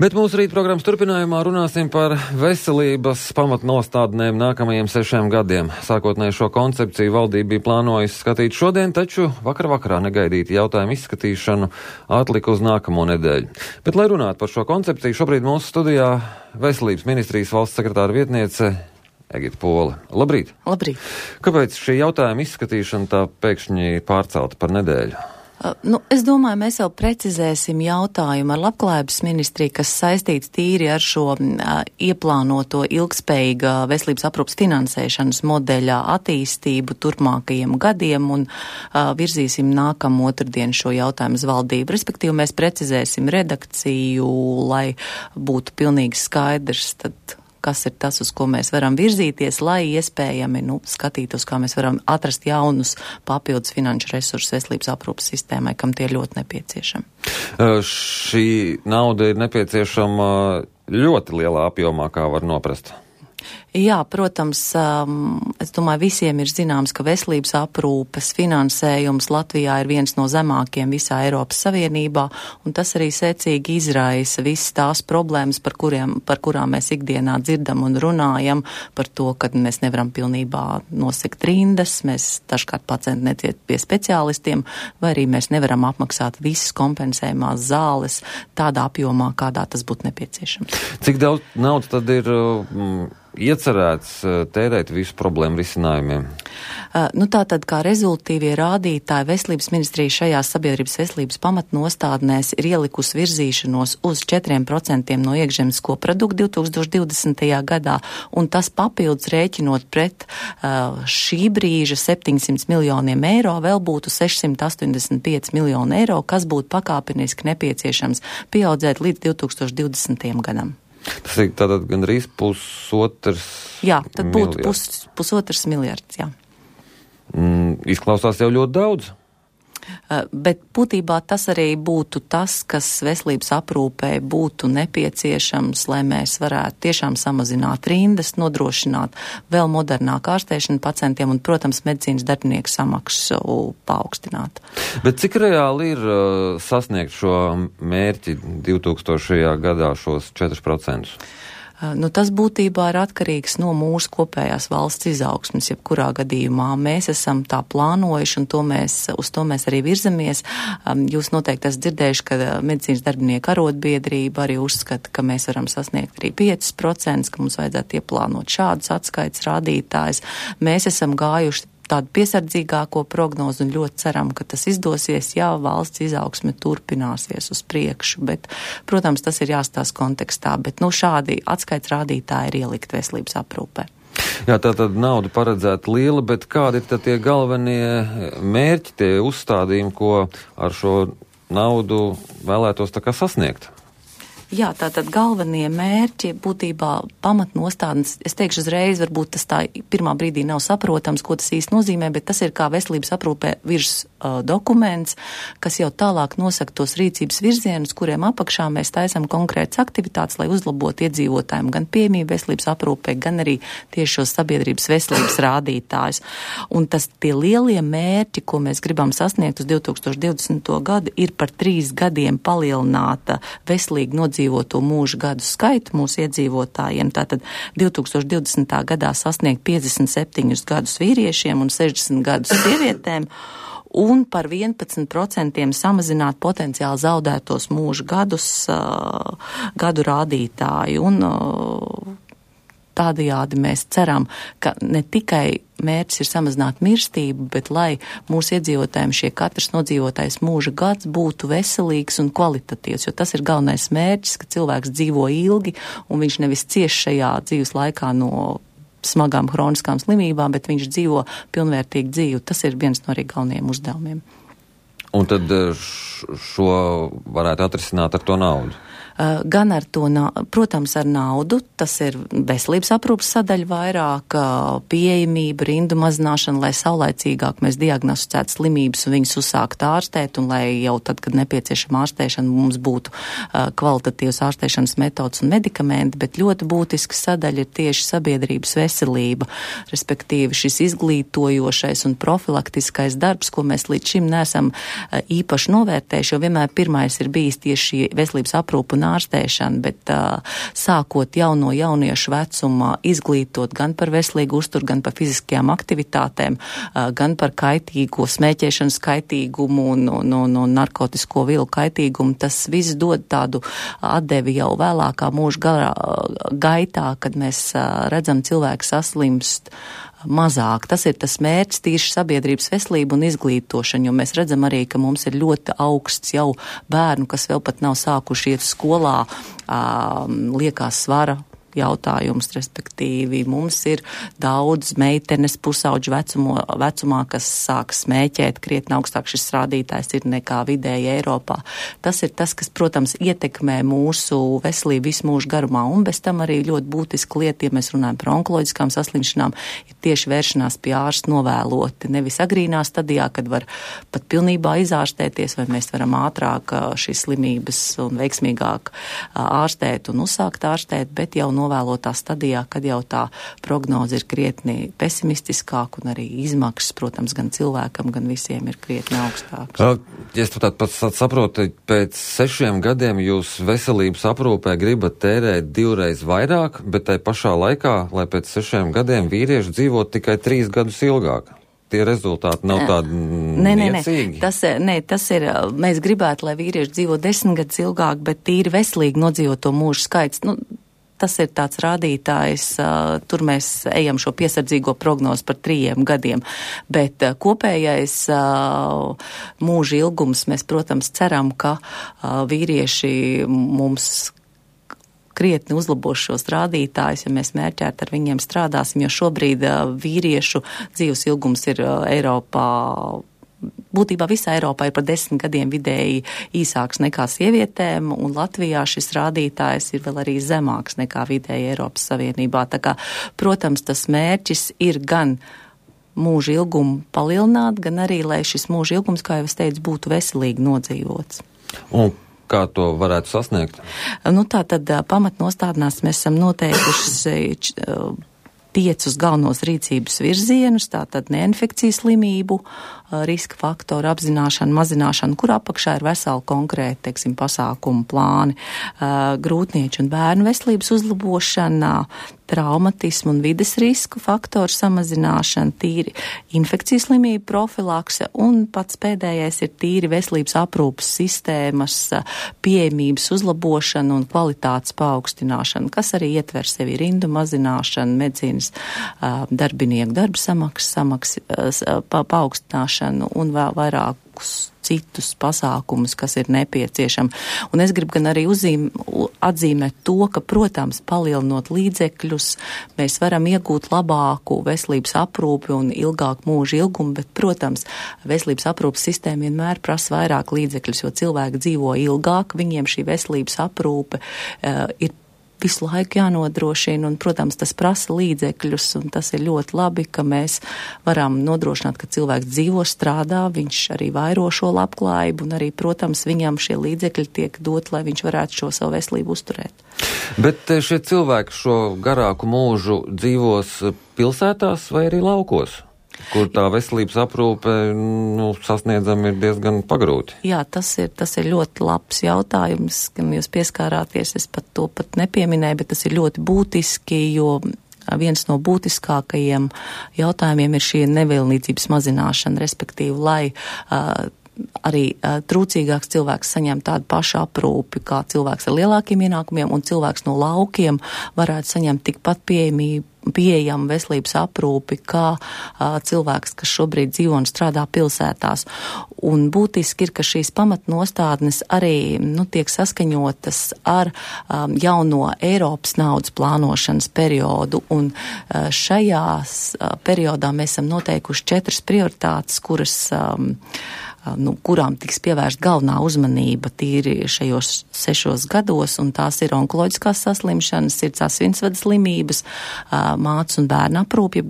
Bet mūsu rīt programmas turpinājumā runāsim par veselības pamatnostādnēm nākamajiem 6 gadiem. Sākotnēji šo koncepciju valdība bija plānojusi skatīt šodien, taču vakarā negaidīti jautājumu izskatīšanu atlika uz nākamo nedēļu. Bet, lai runātu par šo koncepciju, šobrīd mūsu studijā Veselības ministrijas valsts sekretāra vietniece Egita Pole. Labrīt! Labrīt! Kāpēc šī jautājuma izskatīšana tā pēkšņi pārcelta par nedēļu? Es domāju, mēs jau precizēsim jautājumu ar Labklājības ministriju, kas saistīts tīri ar šo ieplānoto ilgspējīga veselības aprūpas finansēšanas modeļa attīstību turpmākajiem gadiem un virzīsim nākamu otrdienu šo jautājumu uz valdību. Respektīvi, mēs precizēsim redakciju, lai būtu pilnīgi skaidrs, tad kas ir tas, uz ko mēs varam virzīties, lai iespējami skatītos, kā mēs varam atrast jaunus papildus finanšu resursus veselības aprūpas sistēmai, kam tie ļoti nepieciešami. Šī nauda ir nepieciešama ļoti lielā apjomā, kā var noprast. Jā, protams, es domāju, visiem ir zināms, ka veselības aprūpes finansējums Latvijā ir viens no zemākiem visā Eiropas Savienībā, un tas arī secīgi izraisa visas tās problēmas, par kurām mēs ikdienā dzirdam un runājam, par to, ka mēs nevaram pilnībā nosegt rindas, mēs dažkārt pacienti netiek pie speciālistiem, vai arī mēs nevaram apmaksāt visas kompensējumās zāles tādā apjomā, kādā tas būtu nepieciešams. Cik daudz naudas tad ir iecerēts tērēt visu problēmu risinājumiem? Tātad, kā rezultīvie rādītāji, Veselības ministrija šajās sabiedrības veselības pamatnostādnēs ir ielikusi virzīšanos uz 4% no iekšzemes koprodukta 2020. gadā, un tas papildus rēķinot pret šī brīža 700 miljoniem eiro, vēl būtu 685 miljoni eiro, kas būtu pakāpeniski nepieciešams pieaudzēt līdz 2020. gadam. Tas ir tātad gandrīz pusotrs miljards. Jā, tad būtu pusotrs miljards, jā. Izklausās jau ļoti daudz. Bet būtībā tas arī būtu tas, kas veselības aprūpē būtu nepieciešams, lai mēs varētu tiešām samazināt rindas, nodrošināt vēl modernāku ārstēšanu pacientiem un, protams, medicīnas darbinieku samaksu paaugstināt. Bet cik reāli ir sasniegt šo mērķi 2000. gadā šos 4%? Tas būtībā ir atkarīgs no mūsu kopējās valsts izaugsmes, jebkurā gadījumā. Mēs esam tā plānojuši un uz to mēs arī virzamies. Jūs noteikti esat dzirdējuši, ka medicīnas darbinieku arotbiedrība arī uzskata, ka mēs varam sasniegt arī 5%, ka mums vajadzētu ieplānot šādus atskaites rādītājus. Mēs esam gājuši tādu piesardzīgāko prognozu un ļoti ceram, ka tas izdosies, ja valsts izaugsme turpināsies uz priekšu. Bet, protams, tas ir jāstāsta kontekstā, bet šādi atskaits rādītāji ir ielikt veselības aprūpē. Jā, tātad nauda paredzēta liela, bet kādi ir tad tie galvenie mērķi, tie uzstādījumi, ko ar šo naudu vēlētos tā kā sasniegt? Jā, tātad galvenie mērķi būtībā pamatnostādnes, es teikšu uzreiz, varbūt tas tā pirmā brīdī nav saprotams, ko tas īsti nozīmē, bet tas ir kā veselības aprūpē virs dokuments, kas jau tālāk nosaka tos rīcības virzienus, kuriem apakšā mēs taisam konkrētas aktivitātes, lai uzlabotu iedzīvotājiem gan pieejamību veselības aprūpē, gan arī tieši šos sabiedrības veselības rādītājus. Un tie lielie mērķi, ko mēs gribam sasniegt uz 2020. gadu, ir par 3 gadiem palielināta veselīgi nodzīvoto mūža gadu skaitu mūsu iedzīvotājiem. Tātad 2020. gadā sasniegt 57 gadus vīriešiem un 60 gadus sievietēm un par 11% samazināt potenciāli zaudētos mūža gadu rādītāju. Un tādējādi mēs ceram, ka ne tikai mērķis ir samazināt mirstību, bet lai mūsu iedzīvotājiem šie katrs nodzīvotais mūža gads būtu veselīgs un kvalitatīvs, jo tas ir galvenais mērķis, ka cilvēks dzīvo ilgi un viņš nevis cieš šajā dzīves laikā no smagām hroniskām slimībām, bet viņš dzīvo pilnvērtīgu dzīvi. Tas ir viens no arī galvenajiem uzdevumiem. Un tad šo varētu atrisināt ar to naudu? Gan ar to, protams, ar naudu, tas ir veselības aprūpas sadaļa vairāk, pieejamība, rindu mazināšana, lai saulaicīgāk mēs diagnosticētu slimības un viņus uzsākt ārstēt, un lai jau tad, kad nepieciešama ārstēšana, mums būtu kvalitatīvas ārstēšanas metodas un medikamenti, bet ļoti būtiska sadaļa ir tieši sabiedrības veselība, respektīvi šis izglītojošais un profilaktiskais darbs, ko mēs līdz šim neesam īpaši novērtējuši, jo vienmēr pirmais ir bijis tieši veselības aprūpa un un ārstēšana, bet sākot jau no jauniešu vecuma izglītot gan par veselīgu uzturu, gan par fiziskajām aktivitātēm, gan par kaitīgo smēķēšanas kaitīgumu un narkotisko vielu kaitīgumu, tas viss dod tādu atdevi jau vēlākā mūža gaitā, kad mēs redzam cilvēku saslimst mazāk. Tas ir tas mērķis, tīši sabiedrības veselība un izglītošana, jo mēs redzam arī, ka mums ir ļoti augsts jau bērnu, kas vēl pat nav sākuši iet skolā, liekās svara jautājums, respektīvi mums ir daudz meitenes pusauģu vecumā, kas sāk smēķēt, krietni augstāk šis rādītājs ir nekā vidēji Eiropā. Tas ir tas, kas, protams, ietekmē mūsu veselību visu mūžu garumā, un bez tam arī ļoti būtiska lieta, ja mēs runājam par onkoloģiskām saslimšanām, ir tieši vēršanās pie ārsta novēloti, nevis agrīnā stadijā, kad var pat pilnībā izārstēties, vai mēs varam ātrāk šīs slimības un veiksmīgāk ārstēt un uzsākt ārstēt, bet jau novēlotā stadijā, kad jau tā prognoze ir krietni pesimistiskāka un arī izmaksas, protams, gan cilvēkam, gan visiem ir krietni augstāks. Ja es tātad pats saprotu, pēc 6 gadiem jūs veselības aprūpē gribat tērēt 2 reizes vairāk, bet tai pašā laikā, lai pēc 6 gadiem vīrieši dzīvot tikai 3 gadus ilgāk. Tie rezultāti nav tādi niecīgi? Tas ir, mēs gribētu, lai vīrieši dzīvo 10 gadus ilgāk, bet tīri veselīgi nodzīvot to mūžu skaits. Tas ir tāds rādītājs, tur mēs ejam šo piesardzīgo prognozi par 3 gadiem, bet kopējais mūža ilgums, mēs, protams, ceram, ka vīrieši mums krietni uzlabos šos rādītājus, ja mēs mērķēt ar viņiem strādāsim, jo šobrīd vīriešu dzīves ilgums ir Eiropā, būtībā visā Eiropā ir par 10 gadiem vidēji īsāks nekā sievietēm, un Latvijā šis rādītājs ir vēl arī zemāks nekā vidēji Eiropas Savienībā. Tā kā, protams, tas mērķis ir gan mūža ilgumu palielināt, gan arī, lai šis mūža ilgums, kā jau es teicu, būtu veselīgi nodzīvots. Un kā to varētu sasniegt? Tātad pamatnostādnās mēs esam noteikuši 5 galvenos rīcības virzienus, tātad neinfekcijas slimību, riska faktoru apzināšanu, mazināšanu, kur apakšā ir veseli konkrēti, pasākumu plāni, grūtnieču un bērnu veselības uzlabošana, traumatismu un vides risku faktoru samazināšana, tīri infekcijas slimību profilakse un pats pēdējais ir tīri veselības aprūpas sistēmas pieejamības uzlabošana un kvalitātes paaugstināšana, kas arī ietver sevi rindu mazināšanu, medicīnas darbinieku darba samaksas paaugstināšanu un vēl vairākus citus pasākumus, kas ir nepieciešami. Un es gribu gan arī atzīmēt to, ka, protams, palielinot līdzekļus, mēs varam iegūt labāku veselības aprūpi un ilgāku mūža ilgumu, bet, protams, veselības aprūpas sistēma vienmēr prasa vairāk līdzekļus, jo cilvēki dzīvo ilgāk, viņiem šī veselības aprūpe ir visu laiku jānodrošina, un, protams, tas prasa līdzekļus, un tas ir ļoti labi, ka mēs varam nodrošināt, ka cilvēks dzīvo, strādā, viņš arī vairo šo labklājību, un arī, protams, viņam šie līdzekļi tiek dot, lai viņš varētu šo savu veselību uzturēt. Bet šie cilvēki šo garāku mūžu dzīvos pilsētās vai arī laukos? Kur tā veselības aprūpe sasniedzama ir diezgan pagrūti. Jā, tas ir ļoti labs jautājums, kam jūs pieskārāties, es to nepieminēju, bet tas ir ļoti būtiski, jo viens no būtiskākajiem jautājumiem ir šī nevienlīdzības mazināšana, respektīvi, lai arī trūcīgāks cilvēks saņem tādu pašu aprūpi, kā cilvēks ar lielākiem ienākumiem, un cilvēks no laukiem varētu saņemt tikpat pieejamu veselības aprūpi, kā cilvēks, kas šobrīd dzīvo un strādā pilsētās. Un būtiski ir, ka šīs pamatnostādnes arī tiek saskaņotas ar jauno Eiropas naudas plānošanas periodu, un šajās periodā mēs esam noteikuši 4 prioritātes, kurām tiks pievērst galvenā uzmanība tīri šajos 6 gados, un tās ir onkoloģiskās saslimšanas, sirds asinsvadu slimības, mātes un bērnu aprūpe, jeb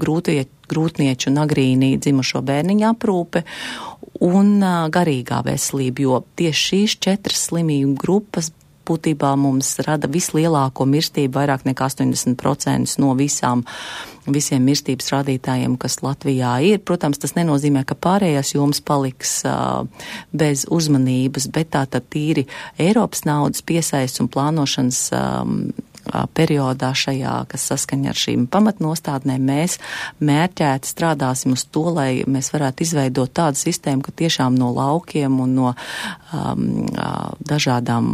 grūtnieču un agrīnī dzimušo bērniņu aprūpe un garīgā veselība, jo tieši šīs 4 slimību grupas būtībā mums rada vislielāko mirstību, vairāk nekā 80% no visiem mirstības rādītājiem, kas Latvijā ir. Protams, tas nenozīmē, ka pārējās jomas paliks bez uzmanības, bet tātad tīri Eiropas naudas piesaists un plānošanas periodā šajā, kas saskaņa ar šīm pamatnostādnēm, mēs mērķēti strādāsim uz to, lai mēs varētu izveidot tādu sistēmu, ka tiešām no laukiem un no dažādām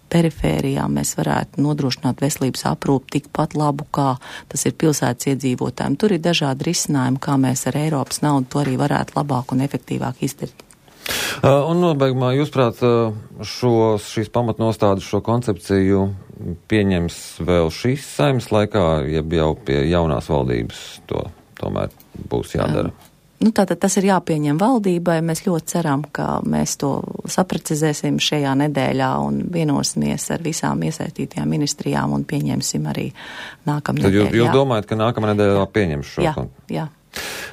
perifērijām mēs varētu nodrošināt veselības aprūpi tikpat labu, kā tas ir pilsētas iedzīvotājiem. Tur ir dažādi risinājumi, kā mēs ar Eiropas naudu to arī varētu labāk un efektīvāk izdarīt. Un nobeigumā, jūsprāt, šīs pamatnostādes, šo koncepciju pieņems vēl šīs saimnes laikā, ja jau pie jaunās valdības to tomēr būs jādara? Tātad tas ir jāpieņem valdībai. Mēs ļoti ceram, ka mēs to saprecizēsim šajā nedēļā un vienosimies ar visām iesaistītajām ministrijām un pieņemsim arī nākamnedēļ. Tad jūs domājat, ka nākamā nedēļā pieņems šo? Jā.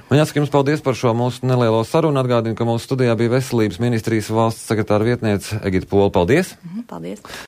Man jāsaka jums paldies par šo mūsu nelielo sarunu. Atgādinu, ka mūsu studijā bija Veselības ministrijas valsts sekretāra vietniece Egita Pola. Paldies! Paldies!